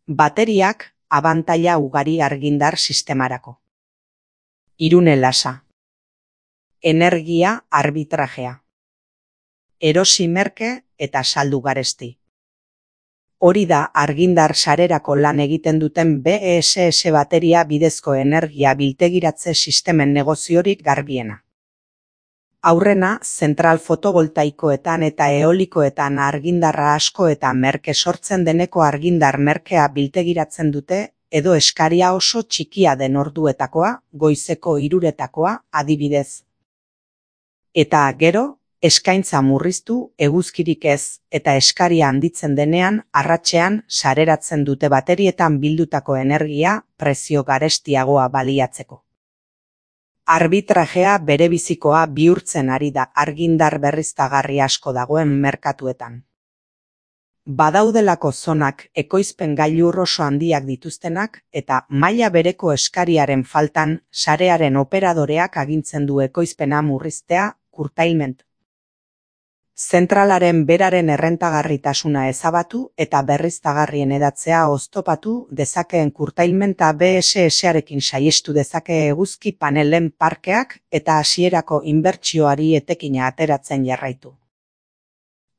Bateriak abantaila ugari argindar sistemarako. Irune lasa. Energia arbitrajea. Erosi merke eta saldu garesti. Hori da argindar sarerako lan egiten duten BESS bateria bidezko energia biltegiratze sistemen negoziorik garbiena. Aurrena, zentral fotovoltaikoetan eta eolikoetan argindarra asko eta merke sortzen deneko argindar merkea biltegiratzen dute, edo eskaria oso txikia den orduetakoa, goizeko 3 adibidez. Eta gero, eskaintza murriztu, eguzkirik ez, eta eskaria handitzen denean, arratsean sareratzen dute baterietan bildutako energia prezio garestiagoa baliatzeko. Arbitrajea berebizikoa bihurtzen ari da argindar berriztagarri asko dagoen merkatuetan. Badaudelako zonak ekoizpen gailur oso handiak dituztenak eta maila bereko eskariaren faltan sarearen operadoreak agintzen du ekoizpena murriztea, curtailment. Zentralaren beraren errentagarritasuna ezabatu eta berriztagarrien edatzea oztopatu dezakeen curtailmenta BESS-arekin saihestu dezake eguzki panelen parkeak eta hasierako inbertsioari etekina ateratzen jarraitu.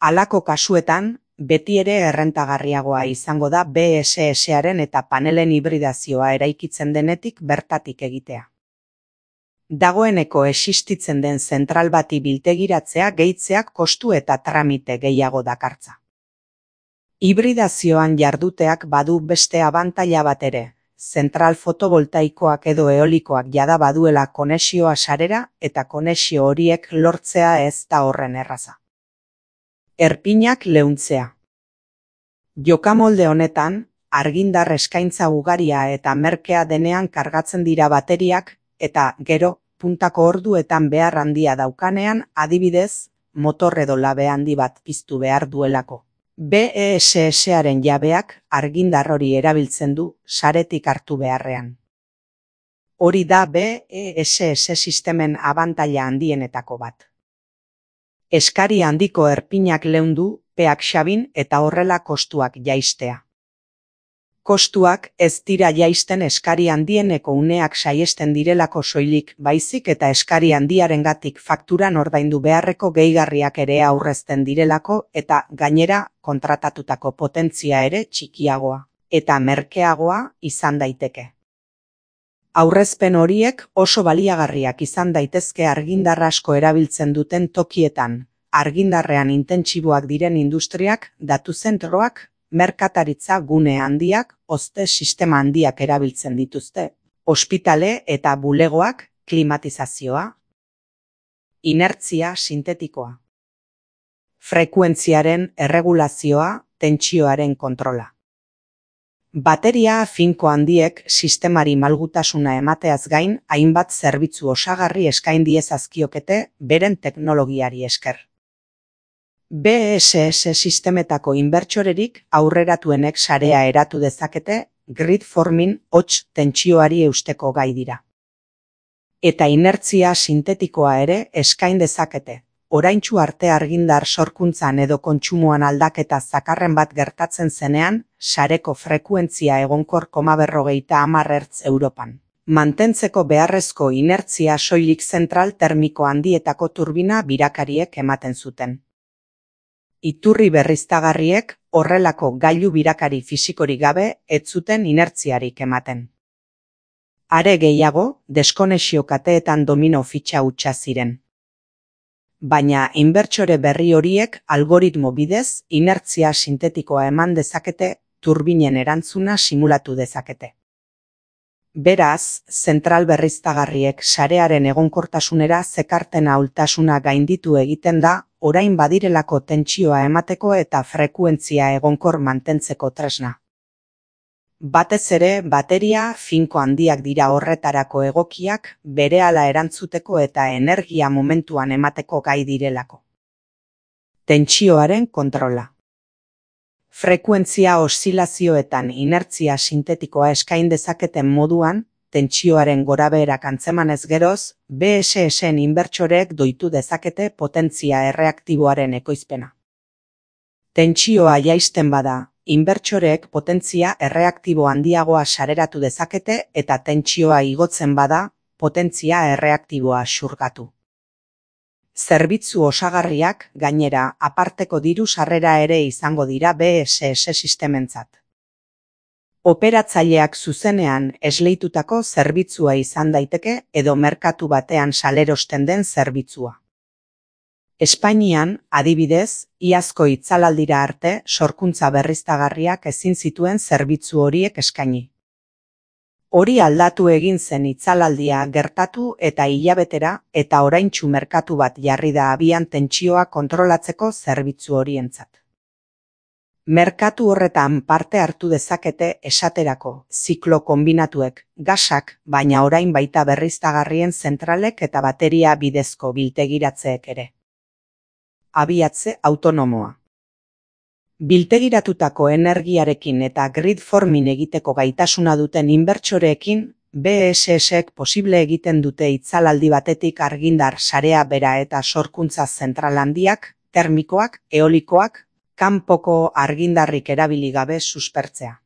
Halako kasuetan, beti ere errentagarriagoa izango da BESS-aren eta panelen hibridazioa eraikitzen denetik bertatik egitea. Dagoeneko existitzen den zentral bati biltegiratzea gehitzeak kostu eta tramite gehiago dakartza. Hibridazioan jarduteak badu beste abantaila bat ere, zentral fotovoltaikoak edo eolikoak jada baduela konexioa sarera eta konexio horiek lortzea ez da horren erraza. Erpinak leuntzea. Jokamolde honetan, argindar eskaintza ugaria eta merkea denean kargatzen dira bateriak, eta gero, puntako orduetan behar handia daukanean, adibidez, motor edo labe handi bat piztu behar duelako. BESS-aren jabeak argindar hori erabiltzen du saretik hartu beharrean. Hori da BESS sistemen abantaila handienetako bat. Eskari handiko erpinak leundu, peak xabin eta horrela kostuak jaistea. Kostuak ez dira jaisten eskari handieneko uneak saiesten direlako soilik, baizik eta eskari handiarengatik fakturan ordaindu beharreko gehigarriak ere aurrezten direlako eta gainera kontratatutako potentzia ere txikiagoa eta merkeagoa izan daiteke. Aurrezpen horiek oso baliagarriak izan daitezke argindar asko erabiltzen duten tokietan, argindarrean intentsiboak diren industriak, datu zentroak, merkataritza gune handiak, hozte sistema handiak erabiltzen dituzte, ospitale eta bulegoak, klimatizazioa, inertzia sintetikoa, frekuentziaren erregulazioa, tentsioaren kontrola. Bateria finko handiek sistemari malgutasuna emateaz gain, hainbat zerbitzu osagarri eskain diezazkiokete beren teknologiari esker. BESS sistemetako inbertsorerik aurreratuenek sarea eratu dezakete, grid forming hots tentsioari eusteko gai dira. Eta inertzia sintetikoa ere eskain dezakete. Oraintsu arte argindar sorkuntzan edo kontsumoan aldaketa zakarren bat gertatzen zenean, sareko frekuentzia egonkor 50 Hz Europan. Mantentzeko beharrezko inertzia soilik zentral termiko handietako turbina birakariek ematen zuten. Iturri berriztagarriek horrelako gailu birakari fisikorik gabe ez zuten inertziarik ematen. Are gehiago, deskonexio kateetan domino fitxa hutsa ziren. Baina inbertsore berri horiek algoritmo bidez inertzia sintetikoa eman dezakete, turbinen erantzuna simulatu dezakete. Beraz, zentral berriztagarriek sarearen egonkortasunera zekarten ahultasuna gainditu egiten da, orain badirelako tentsioa emateko eta frekuentzia egonkor mantentzeko tresna. Batez ere, bateria finko handiak dira horretarako egokiak, berehala erantzuteko eta energia momentuan emateko gai direlako. Tentsioaren kontrola. Frekuentzia oszilazioetan inertzia sintetikoa eskain dezaketen moduan, tentsioaren gorabeherak antzemanez geroz, BESS-en inbertsoreek doitu dezakete potentzia erreaktiboaren ekoizpena. Tentsioa jaisten bada, inbertsoreek potentzia erreaktibo handiagoa sareratu dezakete eta tentsioa igotzen bada, potentzia erreaktiboa xurgatu. Zerbitzu osagarriak, gainera, aparteko diru sarrera ere izango dira BSS sistementzat. Operatzaileak zuzenean esleitutako zerbitzua izan daiteke edo merkatu batean salerosten den zerbitzua. Espainian, adibidez, iazko itzalaldira arte sorkuntza berriztagarriak ezin zituen zerbitzu horiek eskaini. Hori aldatu egin zen itzalaldia gertatu eta hilabetera eta oraintsu merkatu bat jarri da abian tentsioa kontrolatzeko zerbitzu horientzat. Merkatu horretan parte hartu dezakete esaterako ziklo konbinatuek, gasak, baina orain baita berriztagarrien zentralek eta bateria bidezko biltegiratzeek ere. Abiatze autonomoa. Biltegiratutako energiarekin eta grid forming egiteko gaitasuna duten inbertsoreekin, BSSek posible egiten dute itzalaldi batetik argindar sarea bera eta sorkuntza zentral handiak, termikoak, eolikoak, kanpoko argindarrik erabili gabe suspertzea.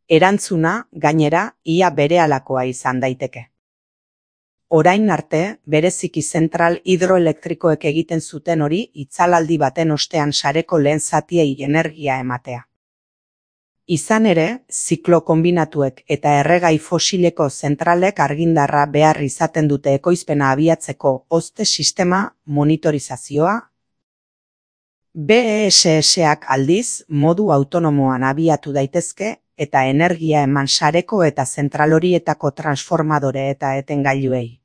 Erantzuna, gainera, ia berealakoa izan daiteke. Orain arte, bereziki zentral hidroelektrikoek egiten zuten hori itzalaldi baten ostean sareko lehen zatiei energia ematea. Izan ere, ziklo konbinatuek eta erregai fosileko zentralek argindarra behar izaten dute ekoizpena abiatzeko hozte sistema monitorizazioa. BSSak aldiz modu autonomoan abiatu daitezke eta energia eman sareko eta zentral horietako transformadore eta etengailuei.